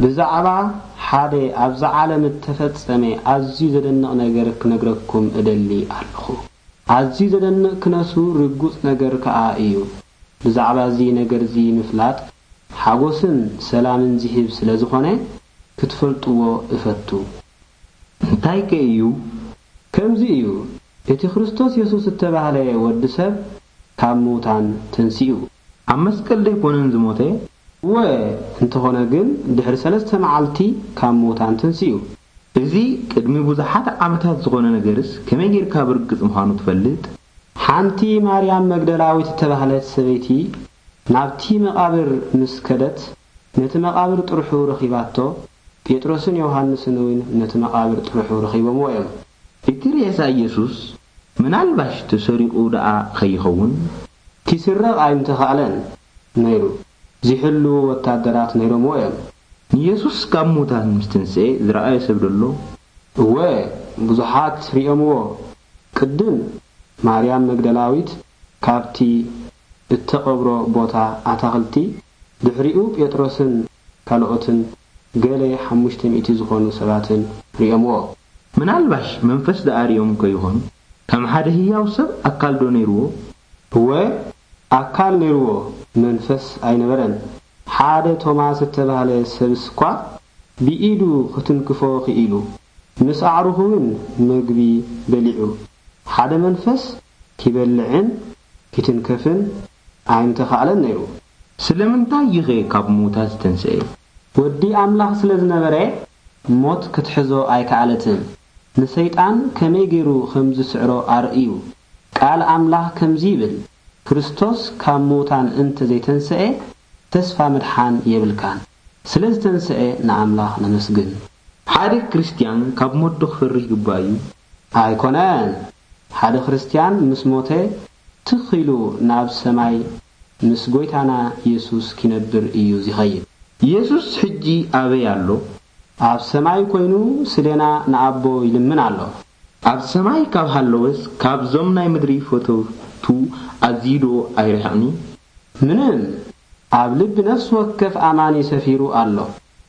ብዛዕባ ሓደ ኣብዛ ዓለም እተፈጸመ ኣዝዩ ዘደንቕ ነገር ክነግረኩም እደሊ ኣለኹ። ኣዝዩ ዘደንቕ ክነሱ ርጉጽ ነገር ከኣ እዩ። ብዛዕባ እዚ ነገር እዚ ምፍላጥ ሓጎስን ሰላምን ዝህብ ስለ ዝኾነ ክትፈልጥዎ እፈቱ። እንታይ ከ እዩ? ከምዚ እዩ፣ እቲ ክርስቶስ የሱስ እተባህለ ወዲ ሰብ ካብ ምዉታን ተንሲኡ። ኣብ መስቀል ደይኮነን ዝሞተ? እወ፣ እንተኾነ ግን ድሕሪ ሰለስተ መዓልቲ ካብ ምዉታን ተንሲኡ። እዚ ቅድሚ ብዙሓት ዓመታት ዝኾነ ነገርስ ከመይ ጌርካ ብርግጽ ምዃኑ ትፈልጥ? ሓንቲ ማርያም መግደላዊት እተባህለት ሰበይቲ ናብቲ መቓብር ምስ ከደት፣ ነቲ መቓብር ጥርሑ ረኺባቶ፣ ጴጥሮስን ዮሃንስን እውን ነቲ መቓብር ጥርሑ ረኺቦምዎ እዮም። እቲ ሬሳ ኢየሱስ ምናልባሽ ተሰሪቑ ደኣ ኸይኸውን? ኪስረቕ ኣይምተኻእለን ነይሩ። ዚሕሉ ወታደራት ነይሮምዎ እዮም። ንየሱስ ካብ ሙታን ምስ ተንስኤ ዝረኣየ ሰብ ደሎ? እወ፣ ብዙሓት ርእዮምዎ። ቅድም ማርያም መግደላዊት ካብቲ እተቐብሮ ቦታ ኣታኽልቲ፣ ድሕሪኡ ጴጥሮስን ካልኦትን ገለ ሓሙሽተ ሚእቲ ዝኾኑ ሰባትን ርእዮምዎ። ምናልባሽ መንፈስ ደኣ ርእዮም ከይኾኑ? ከም ሓደ ህያው ሰብ ኣካል ዶ ነይርዎ? እወ፣ ኣካል ነይርዎ፣ መንፈስ ኣይነበረን። ሓደ ቶማስ እተባህለ ሰብስ እኳ ብኢዱ ክትንክፎ ክኢሉ፣ ምስ ኣዕሩኹ እውን መግቢ በሊዑ። ሓደ መንፈስ ኪበልዕን ኪትንከፍን ኣይምተኻእለን ነይሩ። ስለምንታይ እዩኸ ካብ ምዉታት ዝተንስኤ? ወዲ ኣምላኽ ስለ ዝነበረ፣ ሞት ክትሕዞ ኣይከኣለትን። ንሰይጣን ከመይ ገይሩ ከም ዝስዕሮ ኣርእዩ። ቃል ኣምላኽ ከምዚ ይብል፣ ክርስቶስ ካብ ምዉታን እንተ ዘይተንስኤ፣ ተስፋ ምድሓን የብልካን። ስለ ዝተንስኤ ንኣምላኽ ነመስግን። ሓደ ክርስትያን ካብ ሞት ዶ ክፈርህ ይግባእ እዩ? ኣይኮነን። ሓደ ክርስትያን ምስ ሞተ፣ ትኽ ኢሉ ናብ ሰማይ ምስ ጐይታና የሱስ ኪነብር እዩ ዚኸይድ። የሱስ ሕጂ ኣበይ ኣሎ? ኣብ ሰማይ ኰይኑ ስሌና ንኣቦ ይልምን ኣሎ። ኣብ ሰማይ ካብ ሃለወስ፣ ካብዞም ናይ ምድሪ ፈተውቱ ኣዝዩ ዶ ኣይርሕቕን እዩ? ምንም፣ ኣብ ልቢ ነፍሲ ወከፍ ኣማኒ ሰፊሩ ኣሎ።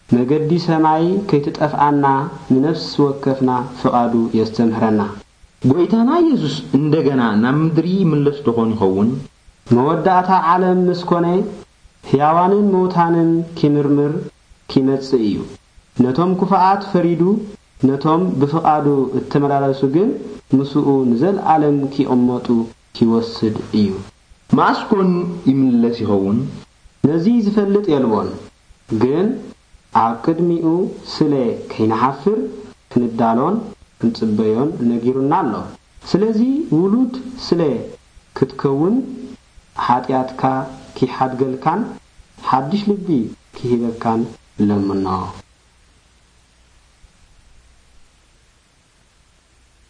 መገዲ ሰማይ ከይትጠፍኣና ንነፍሲ ወከፍና ፍቓዱ የስተምህረና። ጐይታና የሱስ እንደገና ናብ ምድሪ ይምለስ ዶኾን ይኸውን? መወዳእታ ዓለም ምስ ኮነ፣ ሕያዋንን ምዉታንን ኪምርምር ኪመጽእ እዩ። ነቶም ክፉኣት ፈሪዱ፣ ነቶም ብፍቓዱ እተመላለሱ ግን ምስኡ ንዘለኣለም ኪቕመጡ ኪወስድ እዩ። መኣስ ኮን ይምለስ ይኸውን? ነዚ ዝፈልጥ የልቦን፣ ግን ኣብ ቅድሚኡ ስለ ከይንሓፍር ክንዳሎን ክንጽበዮን ነጊሩና ኣሎ። ስለዚ ውሉድ ስለ ክትከውን ሓጢኣትካ ኪሓድገልካን ሓድሽ ልቢ ኪህበካን ለምኖ።